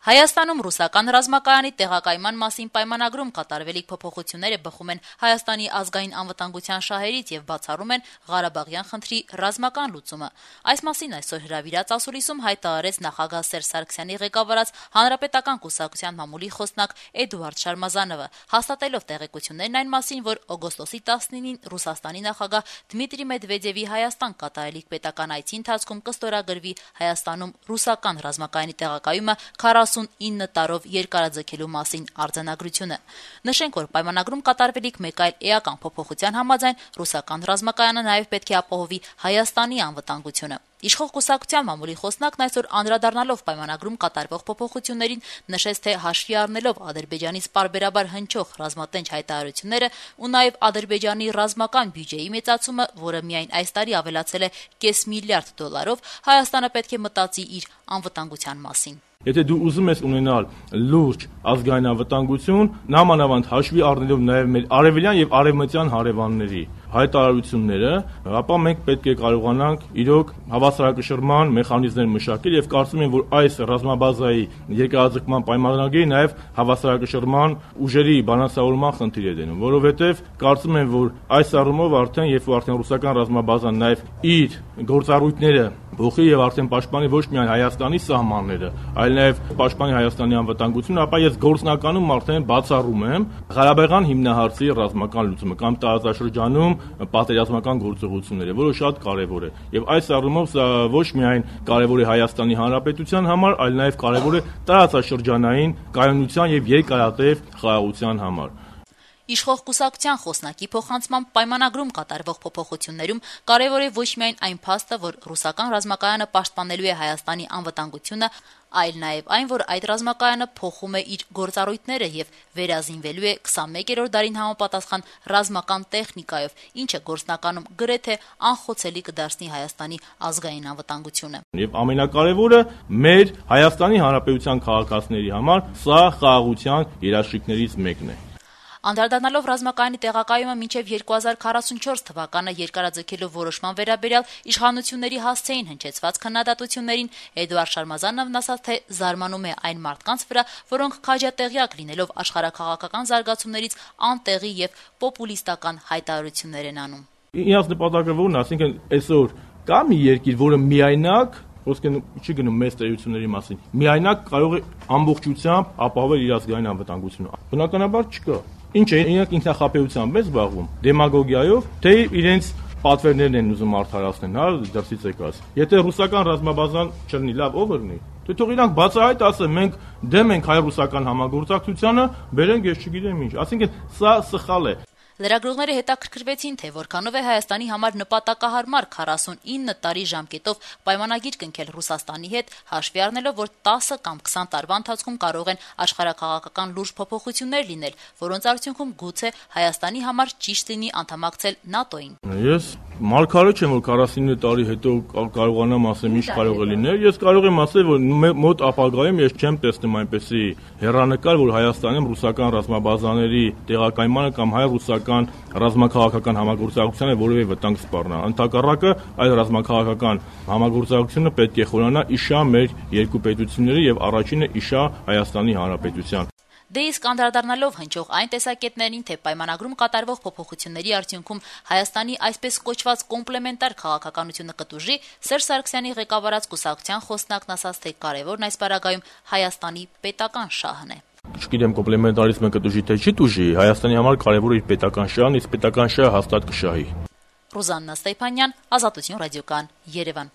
Հայաստանում ռուսական ռազմակայանի տեղակայման մասին պայմանագրում կատարվելիք փոփոխությունները բխում են Հայաստանի ազգային անվտանգության շահերից եւ բացառում են Ղարաբաղյան խնդրի ռազմական լուծումը։ Այս մասին այսօր հրավիրած ասուլիսում հայտարարեց նախագահ Սերժ Սարգսյանի ղեկավարած Հանրապետական կուսակցության մամուլի խոսնակ Էդուարդ Շարմազանովը, հաստատելով տեղեկություններն այն մասին, որ օգոստոսի 19-ին Ռուսաստանի նախագահ Դմիտրի Մեդվեդևի Հայաստան կատարելիք պետական այցի ընթացքում կստորագրվի Հայաստանում ռուսական ռազմակայանի տեղակայումը 49 տարով երկարաձգելու մասին արձանագրությունը։ Նշենք, որ պայմանագրում կատարվելիք մեկ այլ էական փոփոխության համաձայն ռուսական ռազմակայանը նաև պետք է ապահովի Հայաստանի անվտանգությունը։ Իշխող կուսակցության մամուլի խոսնակն այսօր անդրադառնալով պայմանագրում կատարվող փոփոխություններին նշեց, թե հաշվի առնելով Ադրբեջանից պարբերաբար հնչող ռազմատենչ հայտարարությունները ու նաև Ադրբեջանի ռազմական բյուջեի մեծացումը, որը միայն այս տարի ավելացել է $500 միլիարդ, Հայաստանը պետք է մտածի իր անվտանգության մասին։ Եթե դու ուզում ես ունենալ լուրջ ազգային անվտանգություն, նամանավանդ հաշվի առնելով նաև մեր արևելյան եւ արևմտյան հարևանների հայտարարությունները, ապա մենք պետք է կարողանանք իրոք հավասարակշռման մեխանիզմներ մշակել եւ կարծում եմ, որ այս ռազմաբազայի երկարաձգման պայմանագրի նաև հավասարակշռման ուժերի բալանսավորման խնդիր է դնում, որովհետեւ կարծում եմ, որ այս առումով երբ արդեն ռուսական ռազմաբազան նաև իր գործառույթները փոխի եւ արդեն պաշտպանի ոչ միայն Հայաստանի սահմանները, այլ նաև պաշտպանի Հայաստանի անվտանգությունը, ապա ես գործնականում արդեն բացառում եմ Ղարաբաղյան հիմնահարցի ռազմական լուծումը կամ տարածաշրջանում պատերազմական գործողությունները, որը շատ կարևոր է։ Եվ այս առումով սա ոչ միայն կարևոր է Հայաստանի Հանրապետության համար, այլ նաև կարևոր է տարածաշրջանային կայունության եւ երկարատև խաղաղության համար։ Իշխող կուսակցության խոսնակի փոխանցմամբ պայմանագրում կատարվող փոփոխություններում կարևոր է ոչ միայն այն փաստը, որ ռուսական ռազմակայանը պաշտպանելու է Հայաստանի անվտանգությունը, այլ նաև այն, որ այդ ռազմակայանը փոխում է իր գործառույթները եւ վերազինվելու է 21-րդ դարին համապատասխան ռազմական տեխնիկայով, ինչը գործնականում գրեթե անխոցելի կդարձնի Հայաստանի ազգային անվտանգությունը։ Եվ ամենակարևորը մեր Հայաստանի Հանրապետության քաղաքացիների համար սա խաղաղության երաշխիքներից մեկն է։ Անդրադառնալով ռազմակայանի տեղակայումը մինչև 2044 թվականը երկարաձգելու որոշման վերաբերյալ իշխանությունների հասցեին հնչեցված քննադատություններին Էդուարդ Շարմազանովն ասաց, թե զարմանում է այն մարդկանց վրա, որոնք քաջատեղյակ լինելով աշխարհաքաղաքական զարգացումներից անտեղի եւ պոպուլիստական հայտարարություններ են անում։ Իրաց նպատակը ո՞րն է, ասինքն այսօր կա մի երկիր, որը միայնակ ոսկե չի գնում մեծ տերությունների մասին։ Միայնակ կարող է ամբողջությամբ ապահովել իր ազգային անվտանգությունը։ Բնականաբար չկա։ Ինչ է, իրենք ինքնախապեյությամբ են զբաղվում, դեմագոգիայով, թե իրենց պատվերներն են ուզում արդարացնել, հա, դրսից եկած։ Եթե ռուսական ռազմաբազան չլինի, լավ, ով լինի։ Թե թող իրանք բացահայտ ասեն, մենք դեմ ենք հայ-ռուսական համագործակցությանը, բերենք ես չգիտեմ ինչ։ Այսինքն սա սխալ է։ Լրագրողները հետաքրքրվեցին, թե որքանով է Հայաստանի համար նպատակահարմար 49 տարի ժամկետով պայմանագիր կնքել Ռուսաստանի հետ, հաշվի առնելով, որ 10 կամ 20 տարվա ընթացքում կարող են աշխարհաքաղաքական լուրջ փոփոխություններ լինել, որոնց արդյունքում գուցե Հայաստանի համար ճիշտ լինի անդամակցել ՆԱՏՕ-ին։ Ես մարգարե չեմ, որ 49 տարի հետո կարողանամ ասեմ ինչ կարող է լինել։ Ես կարող եմ ասել, որ մոտ ապագայում ես չեմ տեսնում այնպեսի հեռանկար, որ Հայաստանում ռուսական ռազմաբազաների տեղակայմանը կամ հայ-ռուսական ռազմաքաղաքական համագործակցությանը որևէ վտանգ սպառնա։ Ընդհակառակը, այդ ռազմաքաղաքական համագործակցությունը պետք է խորանա իշա մեր երկու պետությունների եւ առաջինը իշա Հայաստանի Հանրապետության։ Դե իսկ անդրադառնալով հնչող այն տեսակետներին, թե պայմանագրում կատարվող փոփոխությունների արդյունքում Հայաստանի այսպես կոչված կոմպլեմենտար քաղաքականությունը կտուժի, Սերժ Սարգսյանի ղեկավարած կուսակցության խոսնակն ասաց, թե կարևորն այս պարագայում Հայաստանի պետական շահն է։ Չգիտեմ կոմպլեմենտարիզմը կտուժի թե չի տուժի, Հայաստանի համար կարևոր է իր պետական շահն, իսկ պետական շահը հաստատ կշահի։ Ռուզաննա Ստեփանյան, Ազատություն ռադիոկան, Երևան։